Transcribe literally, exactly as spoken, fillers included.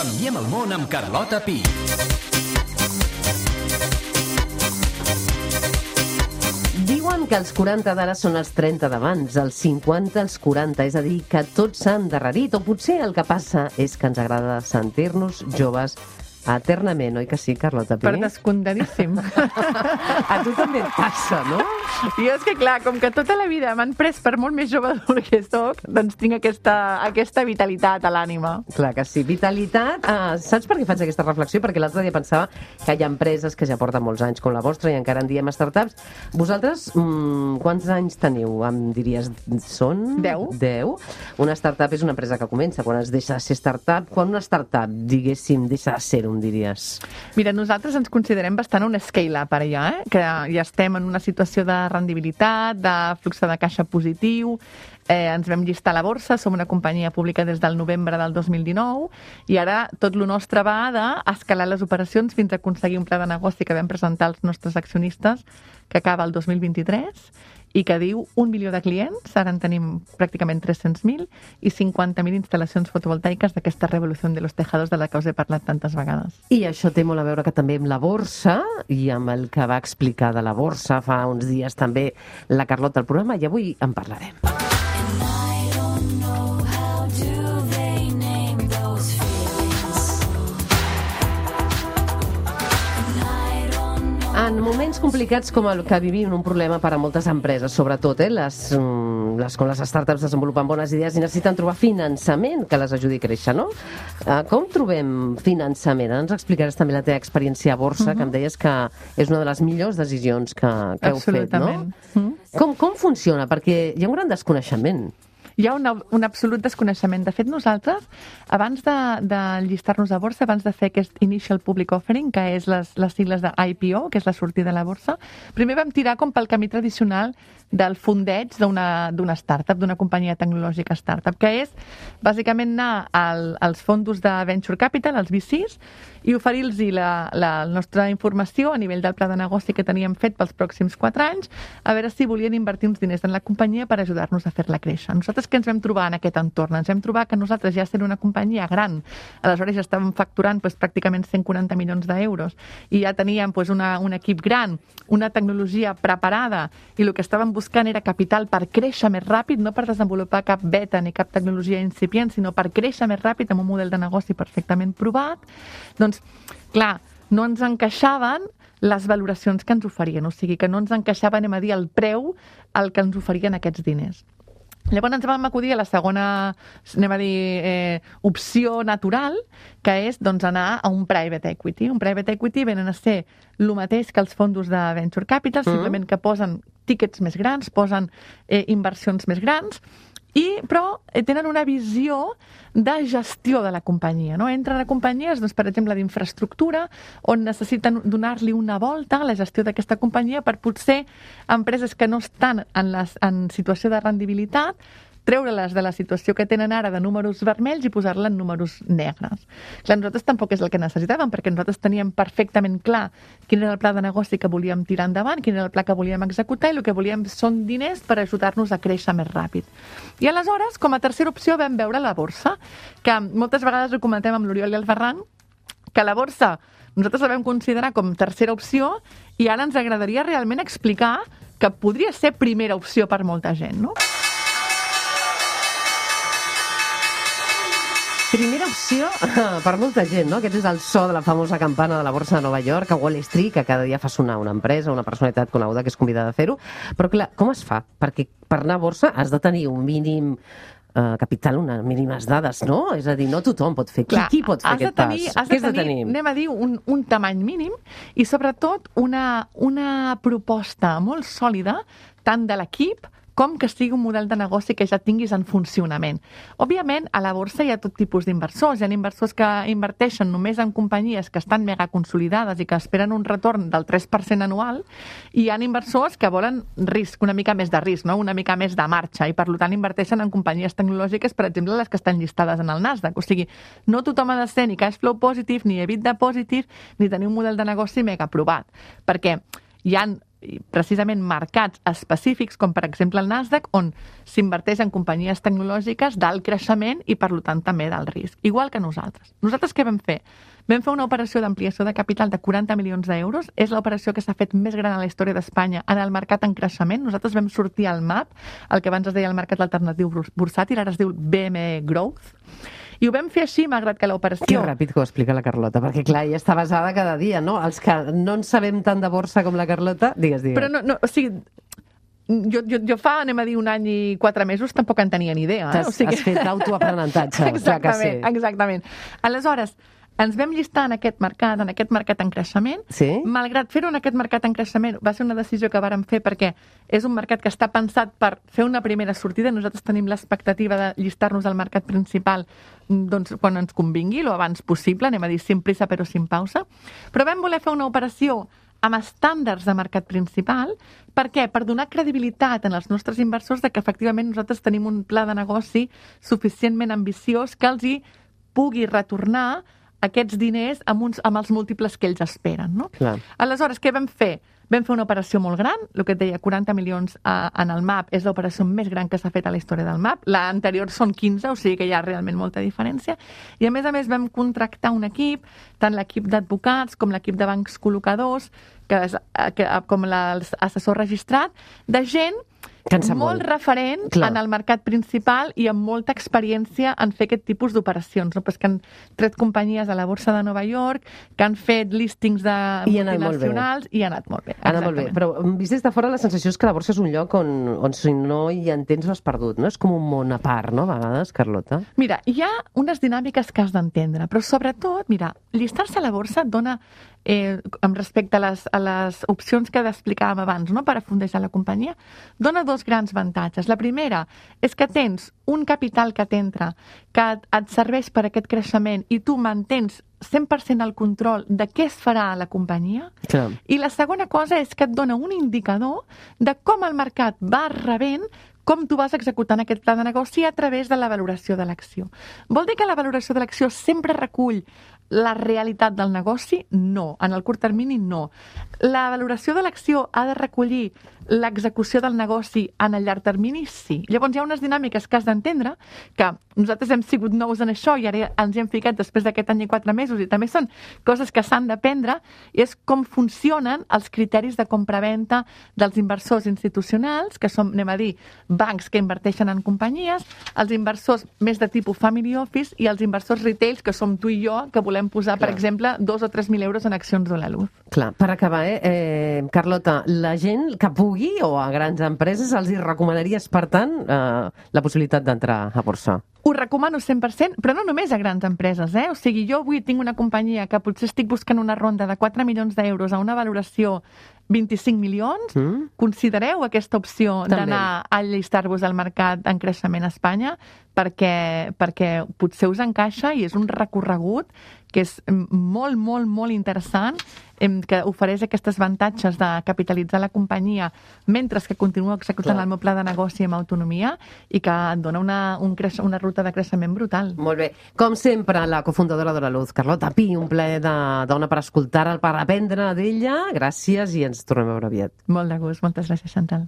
Canviem el món amb Carlota Pi. Diuen que els quaranta d'ara són els trenta d'abans, els cinquanta els quaranta, és a dir, que tot s'ha endarrerit, o potser el que passa és que ens agrada sentir-nos joves eternament, oi que sí, Carlota Pi? Per descomptadíssim. A tu també et passa, no? Jo és que, clar, com que tota la vida m'han pres per molt més jove del que soc, doncs tinc aquesta, aquesta vitalitat a l'ànima. Clar que sí. Vitalitat, uh, saps per què faig aquesta reflexió? Perquè l'altre dia pensava que hi ha empreses que ja porten molts anys com la vostra i encara en diem startups. Vosaltres, mm, quants anys teniu? Em diries, són? Deu. Deu. Una startup és una empresa que comença quan es deixa de ser startup. Quan una startup, diguéssim, deixa de ser-ho, em diries? Mira, nosaltres ens considerem bastant un scale-up ara ja, eh? Que ja estem en una situació de rendibilitat, de flux de caixa positiu, eh, ens vam llistar a la borsa, som una companyia pública des del novembre del dos mil dinou i ara tot lo nostre va d'escalar les operacions fins a aconseguir un pla de negoci que vam presentar als nostres accionistes que acaba el dos mil vint-i-tres i que diu un milió de clients, ara en tenim pràcticament tres-cents mil, i cinquanta mil instal·lacions fotovoltaiques d'aquesta revolució de los tejados de la que us he parlat tantes vegades. I això té molt a veure que també amb la borsa, i amb el que va explicar de la borsa fa uns dies també la Carlota al programa, i avui en parlarem. En moments complicats com el que vivim, un problema per a moltes empreses, sobretot, eh, les, les, quan les startups desenvolupen bones idees i necessiten trobar finançament que les ajudi a créixer, no? Uh, com trobem finançament? Ara ens explicaràs també la teva experiència a borsa, uh-huh. que em deies que és una de les millors decisions que, que heu fet, no? Uh-huh. Com, com funciona? Perquè hi ha un gran desconeixement. Hi ha un, un absolut desconeixement. De fet, nosaltres, abans de, de llistar-nos a borsa, abans de fer aquest Initial Public Offering, que és les, les sigles de I P O, que és la sortida a la borsa, primer vam tirar com pel camí tradicional del fondeig d'una d'una startup, d'una companyia tecnològica startup, que és bàsicament anar al, als fondos de Venture Capital, als V Cs, i oferir-los la, la, la nostra informació a nivell del pla de negoci que teníem fet pels pròxims quatre anys, a veure si volien invertir uns diners en la companyia per ajudar-nos a fer-la créixer. Nosaltres què ens vam trobar en aquest entorn? Ens vam trobar que nosaltres ja sent una companyia gran, aleshores ja estàvem facturant pues, pràcticament cent quaranta milions d'euros i ja teníem pues, una, un equip gran, una tecnologia preparada i el que estàvem buscant era capital per créixer més ràpid, no per desenvolupar cap beta ni cap tecnologia incipient, sinó per créixer més ràpid amb un model de negoci perfectament provat. Doncs, clar, no ens encaixaven les valoracions que ens oferien, o sigui que no ens encaixava, anem a dir, el preu al que ens oferien aquests diners. Llavors ens vam acudir a la segona, anem a dir, eh, opció natural, que és doncs, anar a un private equity. Un private equity venen a ser el mateix que els fondos de venture capital, mm-hmm. simplement que posen tíquets més grans, posen eh, inversions més grans, i, però eh, tenen una visió de gestió de la companyia. No? Entren a companyies, doncs, per exemple, d'infraestructura, on necessiten donar-li una volta a la gestió d'aquesta companyia per potser empreses que no estan en, les, en situació de rendibilitat, treure-les de la situació que tenen ara de números vermells i posar-la en números negres. Clar, nosaltres tampoc és el que necessitàvem, perquè nosaltres teníem perfectament clar quin era el pla de negoci que volíem tirar endavant, quin era el pla que volíem executar, i el que volíem són diners per ajudar-nos a créixer més ràpid. I aleshores, com a tercera opció, vam veure la borsa, que moltes vegades ho comentem amb l'Oriol i el Ferran, que la borsa nosaltres la vam considerar com tercera opció i ara ens agradaria realment explicar que podria ser primera opció per molta gent, no? Primera opció per molta gent, no? Aquest és el so de la famosa campana de la borsa de Nova York, a Wall Street, que cada dia fa sonar una empresa, una personalitat coneguda que és convidada a fer-ho. Però, clar, com es fa? Perquè per anar a borsa has de tenir un mínim eh, capital, unes mínimes dades, no? És a dir, no tothom pot fer. Clar, qui, qui pot fer aquest tenir, pas? Què has de tenir, anem a dir, un, un tamany mínim i, sobretot, una, una proposta molt sòlida, tant de l'equip com que sigui un model de negoci que ja tinguis en funcionament. Òbviament, a la borsa hi ha tot tipus d'inversors. Hi ha inversors que inverteixen només en companyies que estan mega consolidades i que esperen un retorn del tres per cent anual, i hi ha inversors que volen risc, una mica més de risc, no? Una mica més de marxa, i per tant inverteixen en companyies tecnològiques, per exemple, les que estan llistades en el Nasdaq. O sigui, no tothom ha de ser ni cash flow positive, ni EBITDA positive, ni tenir un model de negoci mega provat. Perquè hi ha precisament mercats específics, com per exemple el Nasdaq, on s'inverteix en companyies tecnològiques d'alt creixement i, per tant, també d'alt risc. Igual que nosaltres. Nosaltres què vam fer? Vam fer una operació d'ampliació de capital de quaranta milions d'euros. És l'operació que s'ha fet més gran a la història d'Espanya en el mercat en creixement. Nosaltres vam sortir al M A P, el que abans es deia el mercat alternatiu bursàtil, ara es diu B M E Growth. I ho vam fer així, malgrat que l'operació... Que ràpid que ho explica la Carlota, perquè clar, ella està basada cada dia, no? Els que no en sabem tant de borsa com la Carlota, digues, digues. Però no, no o sigui, jo, jo, jo fa, anem a dir, un any i quatre mesos tampoc en tenia ni idea. Eh? Has, o sigui... has fet autoaprenentatge, clar que sí. Exactament. Aleshores, ens vam llistar en aquest mercat, en aquest mercat en creixement. Sí? Malgrat fer-ho en aquest mercat en creixement, va ser una decisió que vàrem fer perquè és un mercat que està pensat per fer una primera sortida. Nosaltres tenim l'expectativa de llistar-nos al mercat principal doncs, quan ens convingui, lo abans possible, anem a dir, sin prisa però sin pausa. Però vam voler fer una operació amb estàndards de mercat principal. Per què? Per donar credibilitat en els nostres inversors de que efectivament nosaltres tenim un pla de negoci suficientment ambiciós que els hi pugui retornar aquests diners amb, uns, amb els múltiples que ells esperen. No? Clar. Aleshores, què vam fer? Vam fer una operació molt gran, el que et deia, quaranta milions a, en el M A P és l'operació més gran que s'ha fet a la història del M A P. L'anterior són quinze, o sigui que hi ha realment molta diferència. I a més a més vam contractar un equip, tant l'equip d'advocats com l'equip de bancs col·locadors, que és, que, com l'assessor registrat, de gent Cansa molt, molt referent Clar. en el mercat principal i amb molta experiència en fer aquest tipus d'operacions, no? Pues que han tret companyies a la borsa de Nova York, que han fet listings de I multinacionals i ha anat molt bé. Ha anat molt bé, però vist des de fora la sensació és que la borsa és un lloc on, on si no hi entens l'has perdut, no? És com un món a part, no, a vegades, Carlota? Mira, hi ha unes dinàmiques que has d'entendre, però sobretot, mira, llistar-se a la borsa et dona Eh, amb respecte a les, a les opcions que explicàvem abans, no? Per afondejar la companyia, dona dos grans avantatges. La primera és que tens un capital que t'entra, que et, et serveix per aquest creixement i tu mantens cent per cent el control de què es farà a la companyia. Clar. I la segona cosa és que et dona un indicador de com el mercat va rebent com tu vas executant aquest pla de negoci a través de la valoració de l'acció. Vol dir que la valoració de l'acció sempre recull la realitat del negoci? No. En el curt termini, no. La valoració de l'acció ha de recollir l'execució del negoci en el llarg termini? Sí. Llavors hi ha unes dinàmiques que has d'entendre, que nosaltres hem sigut nous en això i ara ens hi hem ficat després d'aquest any i quatre mesos i també són coses que s'han d'aprendre, i és com funcionen els criteris de compra-venta dels inversors institucionals, que són, anem a dir, bancs que inverteixen en companyies, els inversors més de tipus family office i els inversors retails, que som tu i jo, que volem posar, Clar. per exemple, dos o tres mil euros en accions de la Luz. Clar, per acabar, eh, eh, Carlota, la gent que pugui o a grans empreses els hi recomanaries, per tant, eh, la possibilitat d'entrar a borsa? Ho recomano cent per cent, però no només a grans empreses, eh? O sigui, jo avui tinc una companyia que potser estic buscant una ronda de quatre milions d'euros a una valoració vint-i-cinc milions. Mm. Considereu aquesta opció També. d'anar a allistar-vos al mercat en creixement a Espanya, perquè, perquè potser us encaixa i és un recorregut que és molt, molt, molt interessant, que ofereix aquests avantatges de capitalitzar la companyia mentre que continuo executant Clar. el meu pla de negoci amb autonomia i que et dona una, un creix, una ruta de creixement brutal. Molt bé. Com sempre, la cofundadora de la Luz, Carlota Pi, un plaer de dona per escoltar-la, per aprendre d'ella. Gràcies i ens tornem a veure aviat. Molt de gust. Moltes gràcies, Chantal.